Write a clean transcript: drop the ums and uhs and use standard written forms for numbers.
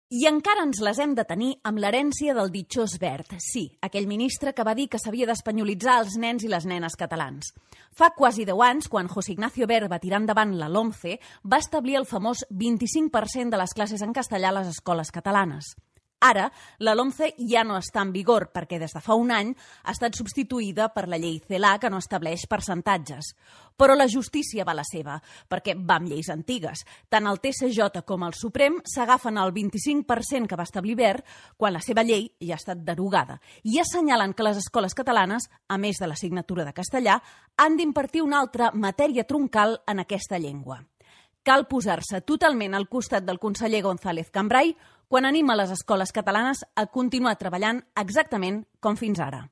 I encara ens les hem de tenir amb l'herència del ditxós Wert. Sí, aquell ministre que va dir que s'havia d'espanyolitzar els nens i les nenes catalans. Fa quasi 10 anys, quan José Ignacio Wert va tirar endavant la LOMCE, va establir el famós 25% de les classes en castellà a les escoles catalanes. Ara, la LOMCE ja no està en vigor perquè des de fa un any ha estat substituïda per la llei CELA, que no estableix percentatges. Però la justícia va la seva, perquè va amb lleis antigues. Tant el TSJ com el Suprem s'agafen el 25% que va establir Wert quan la seva llei ja ha estat derogada i assenyalen que les escoles catalanes, a més de l'assignatura de castellà, han d'impartir una altra matèria troncal en aquesta llengua. Cal posar-se totalment al costat del conseller González Cambray quan anima les escoles catalanes a continuar treballant exactament com fins ara.